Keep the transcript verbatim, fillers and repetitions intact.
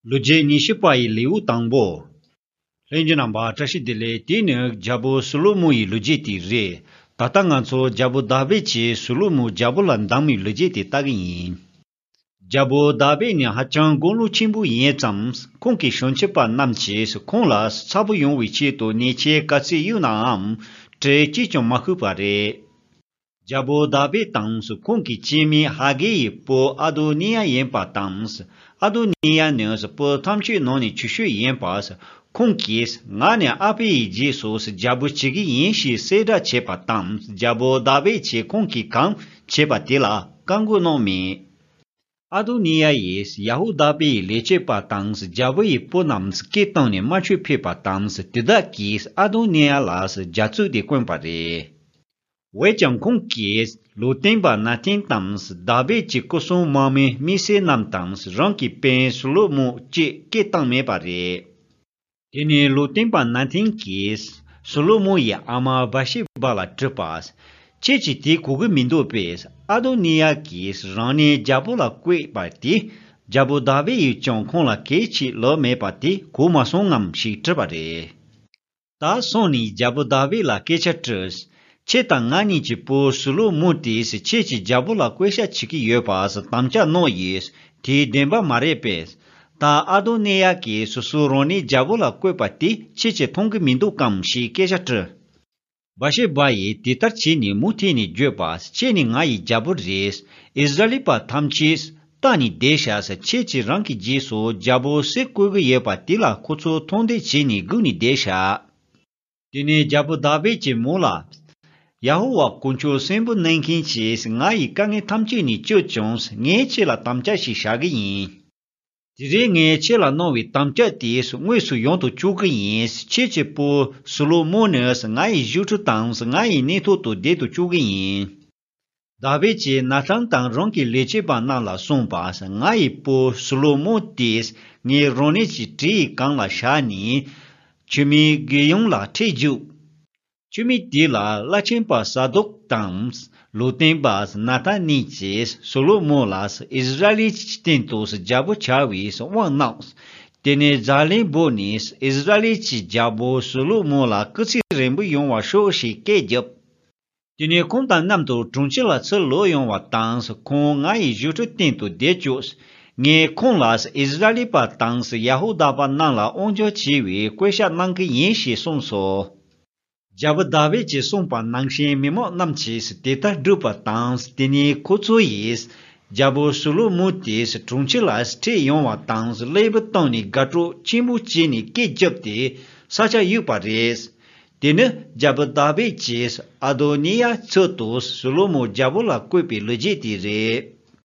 ལོ་རྒྱུས་ཉི་ཤུ་པ་ཡི་ལེའུ་དང་པོ། ལྷན་རྒྱས་རྣམ་པ་བཀྲ་ཤིས་བདེ་ལེགས། དེ་ནི་རྒྱལ་པོ་སོ་ལོ་མོ་ཡི་ལོ་རྒྱུས་དེ་རེད། ད་ལྟ་ང་ཚོ་རྒྱལ་པོ་དཱ་བིད་ཀྱིས་སོ་ལོ་མོ་རྒྱལ་པོ་ལ་འདེམས་པའི་ལོ་རྒྱུས་དེ་ལྟ་གི་ཡིན། རྒྱལ་པོ་དཱ་བིད་ནི་ཧ་ཅང་དགུང་ལོ་ཆེན་པོ་ཡིན་ཙང་ཁོང་གི་བྱང་ཆུབ་པ་རྣམས་ཀྱིས་ཁོང་ལ་ཚ་པོ་ཡོང་བའི་ཆེད་དུ་ཉེས་ཆད་ག་ཚོད་གཡུགས་ནའང་གྲི་གཅིག་ཀྱང་མ་ཤོར་བ་རེད། རྒྱལ་པོ་དཱ་བིད་དང་ཁོང་གི་སྐྱེས་དམན་ཧ་གེ་ཡི་བུ་ཨ་དོ་ནི་ཡ་ཡིན་པ་དང་། ཨ་དོ་ནི་ཡ་ནི་བུ་ཐམས་ཅད་ནང་ནས་ཆུང་ཤོས་ཡིན་པ། ཁོང་གིས་ང་ནི་ཨ་ཕ་ཡི་རྗེས་སུ་རྒྱལ་པོ་བྱེད་ཀྱི་ཡིན་ཞེས་གསལ་བསྒྲགས་བྱས་པ་དང་། རྒྱལ་པོ་དཱ་བིད་ཀྱིས་ཁོང་གིས་གང་བྱས་པ་དེ་ལ་བཀའ་བསྒོ་གནང་མེད། ཨ་དོ་ནི་ཡ་ཡིས་ཡ་ཧུ་དཱ་པའི་ལས་བྱེད་པ་དང་རྒྱལ་པོ་ཡི་བུ་རྣམས་སྐད་བཏང་ནས་དམར་མཆོད་ཕུལ་བ་དང་། དེ་དག་གིས་ཨ་དོ་ནི་ཡ་ལ་རྒྱ་མཚོ་དེ་བསྐོན་པ་རེད། འོན་ཀྱང་ཁོང་གིས་ལུང་སྟོན་པ་ན་ཐན་དང་། དཱ་བིད་ཀྱི་སྐུ་སྲུང་དམག་མི་མི་སེ་རྣམས་དང་། རང་གི་སྤུན་སུ་ལོ་མོ་བཅས་སྐད་བཏང་མེད་པ་རེད། དེ་ནས་ལུང་སྟོན་པ་ན་ཐན་གྱིས་སུ་ལོ་མོ་ཡི་ཨ་མ་བ་ཤེ་བ་ལ་དྲིས་པ། ཁྱེད་ཀྱིས་དེ་གོ་གི་མི་འདུག་པས། ཨ་དོ་ནི་ཡ་གིས་རང་ཉིད་རྒྱལ་པོ་ལ་བསྐོས་པ་དེ། རྒྱལ་པོ་དཱ་བིད་ཡིས་ཀྱང་ཁོང་ལ་གལ་ཆེ་ལབ་མེད་པ་དེ་གོ་མ་སོང་ངམ་ཞེས་དྲིས་པ་རེད། ད་སོང་ནས་རྒྱལ་པོ་དཱ་བིད་ལ་སྐད་ཆ་དྲིས། ཁྱེད་དང་ང་གཉིས་ཀྱི་བུ་སུ་ལོ་མོ་དེས་ཁྱེད་ཀྱིས་རྒྱལ་པོ་ལ་བསྐོས་བཞག་བྱེད་ཀྱི་ཡོད་པ་དམ་བཅའ་གནང་ཡིས་དེ་བདེན་པ་མ་རེད་པས། ད་ཨ་དོ་ནི་ཡ་གིས་སོ་སོ་རང་ཉིད་རྒྱལ་པོ་ལ་བསྐོས་པ་དེ་ཁྱེད་ཀྱིས་མཐོང་གི་མི་འདུག་གམ་ཞེས་སྐད་ཆ་དྲིས། བ་ཤེ་བ་ཡིས་དེ་ལྟར་བྱས་ནས་མུ་མཐུད་ནས་བརྗོད་པ། ཁྱེད་ནི་ང་ཡི་རྒྱལ་པོ་རེད། ཨིསི་ར་ཨེལ་པ་ཐམས་ཅད་ལྟ་ནས་བསྡད་ཤག་ཁྱེད་ཀྱིས་རང་གི་རྗེས་སུ་རྒྱལ་པོ་སུ་བསྐོས་ཀྱི་ཡོད་པ་དེ་ལ་ཁོ་ཚོ་མཐོང་ལྟ་བྱས་ནས་སྒུག་ནས་བསྡད་ཤག་དེ་ནས་རྒྱལ་པོ་དཱ་བིད་ཀྱིས་མོ་ལ། ཡ་ཧོ་ཝཱ་དཀོན་མཆོག་གསོན་པོ་གནང་མཁན་གྱིས་ང་ཡི་དཀའ་ངལ་ཐམས་ཅད་ནས་སྐྱོབ་བྱུང་། ངས་ཁྱེད་ལ་དམ་བཅའ་ཞིག་བཞག་གི་ཡིན། དེ་རིང་ངས་ཁྱེད་ལ་གནང་བའི་དམ་བཅའ་དེ་དངོས་སུ་ཡོང་དུ་བཅུག་གི་ཡིན། ཁྱེད་ཀྱི་བུ་སུ་ལོ་མོ་ནི་ང་ཡི་བཞུགས་ཁྲི་དང་ང་ཡི་གནས་ཐོག་ཏུ་བསྡད་དུ་བཅུག་གི་ཡིན། དཱ་བིད་ཀྱིས་ན་ཐན་དང་རང་གི་ལས་བྱེད་པ་རྣམས་ལ་གསུངས་པ། ང་ཡི་བུ་སུ་ལོ་མོ་དེས་ངས་རང་ཉིད་ཀྱི་གྲི་ཡི་སྒང་ལ་བཞག་ནས། ཆུ་མིག་གི་ཡོངས་ལ་ཁྲིད་རྒྱུགས། ཆུ་མིག་དེ་ལ་བླ་ཆེན་པ་ས་དོག་དང་། ལུང་སྟོན་པ་ན་ཐན་གཉིས་ཀྱིས་སོ་ལོ་མོ་ལ་ཨིསི་ར་ཨེལ་གྱི་སྟེང་དུ་རྒྱལ་པོ་བྱ་བའི་དབང་གནང་། དེ་ནས་ཛ་ལན་འབོད་ནས་ཨིསི་ར་ཨེལ་གྱི་རྒྱལ་པོ་སོ་ལོ་མོ་ལ་སྐུ་ཚེ་རིང་པོ་ཡོང་བར་ཤོག་ཞེས་སྐད་བརྒྱབ། དེ་ནས་ཁོང་དང་མཉམ་དུ་དྲུང་ཆེ་ལ་ཚུར་ལོག་ཡོང་བ་དང་། ཁོང་ང་ཡི་བཞུགས་ཁྲི་སྟེང་དུ་བསྡད་བཅུག་ངས་ཁོང་ལ་ཨིསི་ར་ཨེལ་པ་དང་ཡ་ཧུ་དཱ་པ་རྣམས་ལ་དབང་སྒྱུར་བྱེད་པའི་བསྐོ་བཞག་གནང་གི་ཡིན་ཞེས་གསུངས་སོ། རྒྱལ་པོ་དཱ་བིད་ཀྱིས་གསུངས་པ་ནང་བཞིན་མི་མང་རྣམས་ཀྱིས་དེ་ལྟར་བསྒྲུབས་པ་དང་། དེ་ནས་ཁོ་ཚོ་ཡིས་རྒྱལ་པོ་སོ་ལོ་མོ་དེ་དྲུང་ཆེ་ལ་ཁྲིད་ཡོང་བ་དང་། ཀླད་པ་བཏང་ནས་དགའ་སྤྲོ་ཆེན་པོ་བྱས་ནས་སྐད་བརྒྱབ་སྟེ་ས་ཆ་གཡུགས་པ་རེད། དེ་ནི་རྒྱལ་པོ་དཱ་བིད་ཀྱིས་ཨ་དོ་ནི་ཡ་ཚུལ་དུ་སོ་ལོ་མོ་རྒྱལ་པོ་ལ་བསྐོས་པའི་ལོ་རྒྱུས་དེ་རེད།